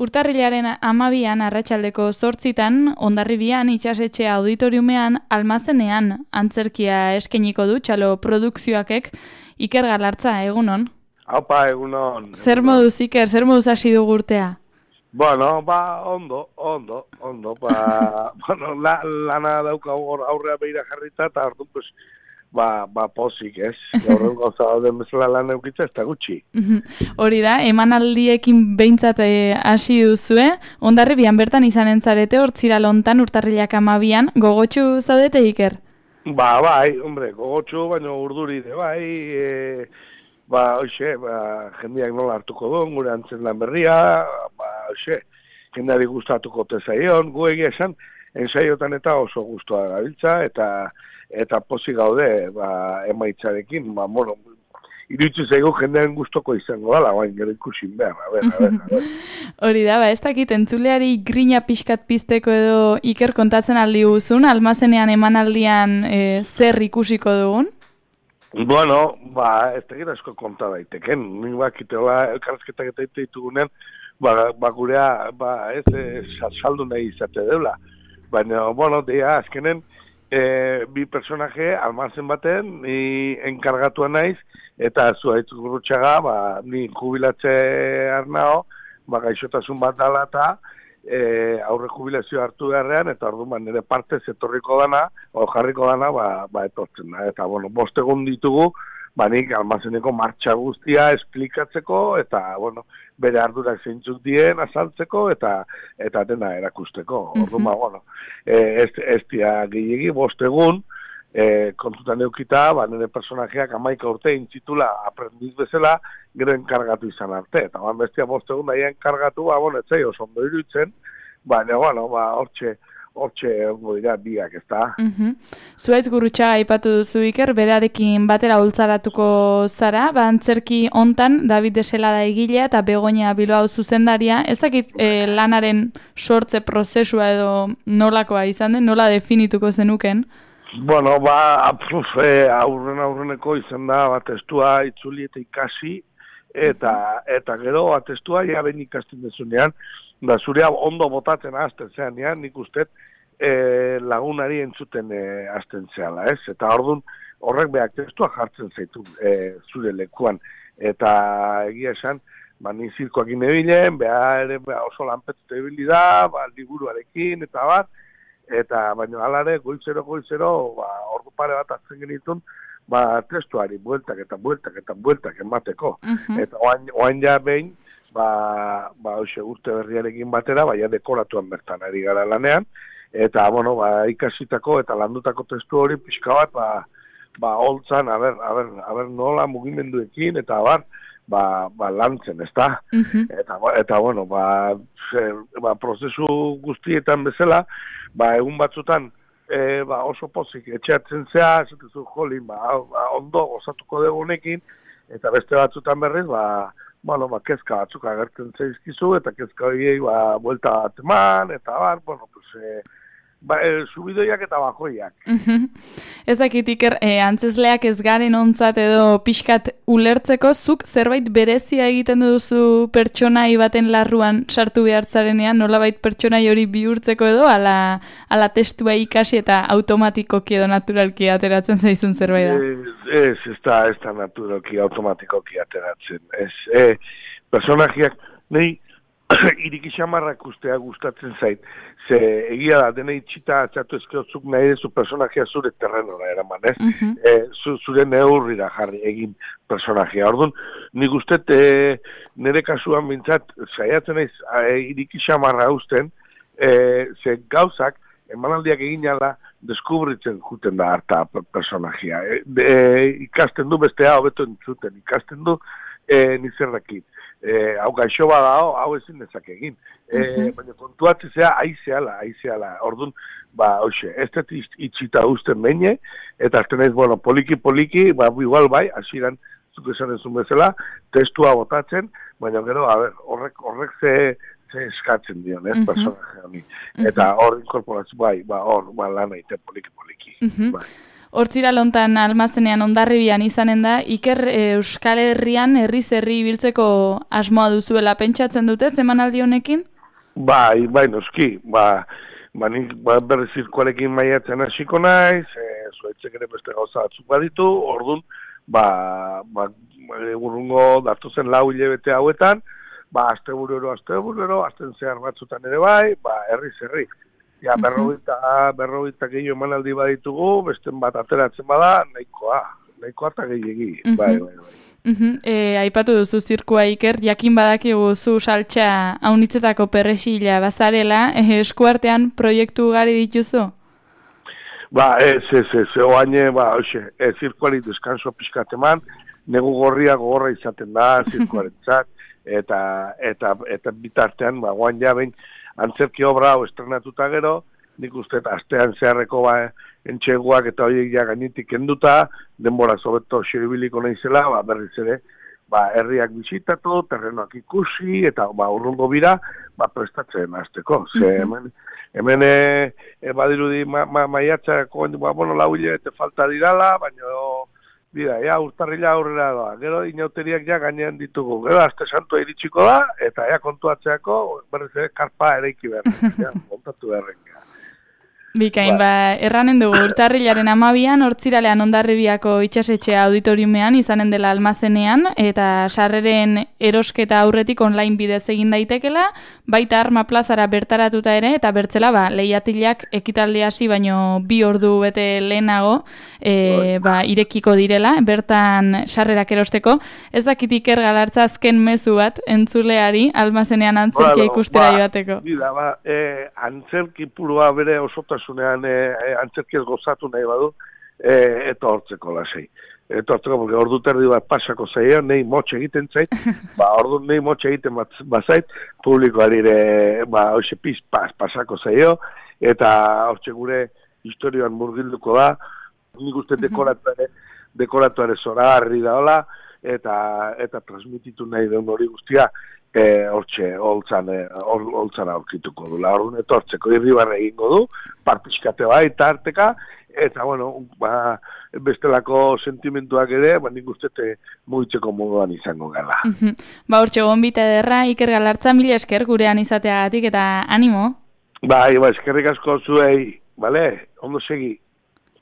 Urtarrilaren 12an arratsaldeko 8 Hondarribian itsasetxe auditoriumean almazenean antzerkia eskainiko du txalo produkzioakek. Iker Galartza, egunon. Aupa, egunon. Zer moduz, Iker, zer moduz hasi dugu urtea? Bueno, ondo. Bueno, lana daukagu aurrea behira jarrita, eta orduan, pues, pozik, ez? Gaurren gauza dauden bezala lan eukitza, ez da gutxi. Hori da, emanaldiekin behintzat hasi duzue, Hondarribian bertan izanen zarete, hortzira lontan urtarrilak 12an, gogotsu zaudete, Iker? Bai, hombre, gogotsu, baina urduride, jendeak nola hartuko duen, gure antzen lan berria, jendeari gustatuko tezaion, gu egia esan, ensaiotan eta oso gustua gabiltza, eta pozik gaude, emaitzarekin, iruditzen zaigu jendearen gustoko izango dala, baina gero ikusin behar, a ver. Hori da, ez dakit, entzuleari grina pixkat pizteko edo Iker kontatzen aldi guzun, almazenean emanaldian zer ikusiko dugun? Bueno, ez tegit asko konta daiteken, nik bakiteola elkarrezketak eta ditugunean, gurea, saldu nahi izate deula. Baina, bueno, azkenen, bi personaje almazen baten, ni enkargatua naiz, eta zuaitz gurutxaga, ni jubilatze arnao, gaixotasun bat dala eta aurre jubilazio hartu beharrean, eta orduan nire partez etorriko dana, jarriko dana, etortzen da. Eta, bueno, 5 egun ditugu, nik almazeneko martxa guztia esplikatzeko, eta, bueno, bere ardurak zeintzuk dien azaltzeko, eta dena erakusteko. Orduan, bueno, ez dia gehiagi, 5 egun, kontutan eukita, nire personajeak 11 urte intzitula aprendiz bezala, gero enkargatu izan arte. Eta bestia 5 egun daia enkargatu, etzai oso ondo iruditzen, baina, hortxe ongo dira biak, ez da. Zuaitz Gurrutxaga aipatu duzu, Iker, berarekin batera ultzaratuko zara, antzerki hontan David Deselada egilea eta Begoña Bilbao zuzendaria, ez dakit lanaren sortze prozesua edo nolakoa izan den, nola definituko zenuken? Bueno, aurreneko izan da, testua itzuli eta ikasi, eta gero, testua ja ben ikasten dezunean, da zurea ondo botatzen azten zean, nik uste lagunari entzuten azten zeala, ez? Eta orduan horrek behar testua jartzen zaitu zure lekuan. Eta egia esan, ni zirkoak inebilen, behar oso lanpetzute ebili da, liburuarekin, eta bat, eta baina alare goizero, ordu pare bat hartzen genitun, testuari bueltak emateko. Eta oain ja behin, urte berriarekin batera, dekoratuan bertan ari gara lanean, eta, bueno, ikasitako eta landutako testu hori pixka bat, holtzan, nola mugimenduekin, eta lantzen, ez da? Eta, bueno, prozesu guztietan bezala, egun batzutan, oso pozik, etxeatzen zea, esatezu jolin, ondo gozatuko dugu honekin, eta beste batzutan berriz, kezka batzuk agertzen zaizkizu, eta kezka horiei, buelta bat eman, eta subidoiak eta bajoiak. Ez dakit, Iker, antzezleak ez garen ontzat edo pixkat ulertzeko, zuk zerbait berezia egiten duzu pertsonai baten larruan sartu behartzarenean, nolabait pertsonai hori bihurtzeko edo, ala testua ikasi eta automatikoki edo naturalki ateratzen zaizun zerbait da? Ez da naturalki automatikoki ateratzen. Personajeak, nahi, irikixamarrak ustea gustatzen zait. Ze egia da, dena itxita atzatu ezkeotzuk nahi dezu personajea zure terrenora eraman, ez? Zure neurrira jarri egin personajea. Orduan, nik ustet nire kasuan bintzat, saiatzen naiz irikixamarra usten, ze gauzak, emanaldiak egin ala, deskubritzen juten da harta personajea. Ikasten du bestea hobeto entzuten, ikasten du nizerrekin. Hau gaixo bada hau ezin dezak egin. Baina kontuatzea aizeala. Orduan, ez dut itxita usten beine, eta azten ez, poliki, igual hasiran zuk esan ezun bezala, testua botatzen, baina gero, horrek ze eskatzen dion, ez, personaje honi. Eta hor inkorporatzen, lana ite poliki. Hortzira lontan almazenean Hondarribian izanen da, Iker Euskal Herrian herriz herri ibiltzeko asmoa duzuela pentsatzen dute emanaldi honekin? Bai, noski, nik berriz zirkuarekin maiatzen hasiko naiz, zuaitzek ere beste gauza batzuk baditu, orduan, urrungo datozen 4 hilabete hauetan, asteburero, asten zehar batzutan ere bai, herriz herri. Ja, berrogeita gehiago emanaldi baditugu, besten bat ateratzen bada, nahikoa eta gehiegi, bai. Aipatu duzu zirkua Iker, jakin badakigu zu saltxa haunitzetako perrexila bazarela, eskuartean proiektu ugari dituzu? Oaine, zirkuari deskanso pixkat eman, negu gorria gogorra izaten da zirkuarentzat, eta bitartean, oain jabein, antzerki obra hau estrenatuta gero, nik uste astean zeharreko entxeguak eta horiek ja gainetik kenduta, denbora zobeto xeribiliko nahizela, berriz ere, herriak bisitatu, terrenoak ikusi, eta urrungo bira, prestatzen hasteko. Hemen badirudi maiatzako, 4 hilabete falta dirala, baina urtarrila aurrera doa. Gero inauteriak ja gainean ditugu. Gero aste santua iritsiko da, eta kontuatzeako berriz ere karpa eraiki behar. Montatu beharren. Bikain, erranen dugu urtarrilaren 12an Hortziralean Hondarribiako itxasetxe auditoriumean izanen dela almazenean, eta sarreren erosketa aurretik online bidez egin daitekela, baita Arma plazara bertaratuta ere, eta bertzela lehiatilak ekitaldi hasi baino 2 ordu bete lehenago irekiko direla, bertan sarrerak erosteko. Ez dakit Iker Galartza azken mezu bat entzuleari almazenean antzerkia ikustera joateko. Antzerki purua bere osotasunean antzerkiaz gozatu nahi badu, etortzeko lasei. Etortzeko, porque ordu terdi bat pasako zaio, nahi motxe egiten zait, ordu nahi motxe egiten bazait, publikoari ere, hoxe pizpaz pasako zaio, eta hortxe gure historioan murgilduko da, nik uste dekoratuare zoragarri da hola, eta transmititu nahi den hori guztia, hortxe, holtzan aurkituko du. Orduan etortzeko irribarre egingo du, partiskate tarteka, eta, bestelako sentimentuak ere, nik ustete mugitzeko moduan izango gala. Hortxe, gonbita ederra, Iker Galartza, mila esker gurean izateagatik, eta animo? Eskerrik asko zuei, bale? Ondo segi.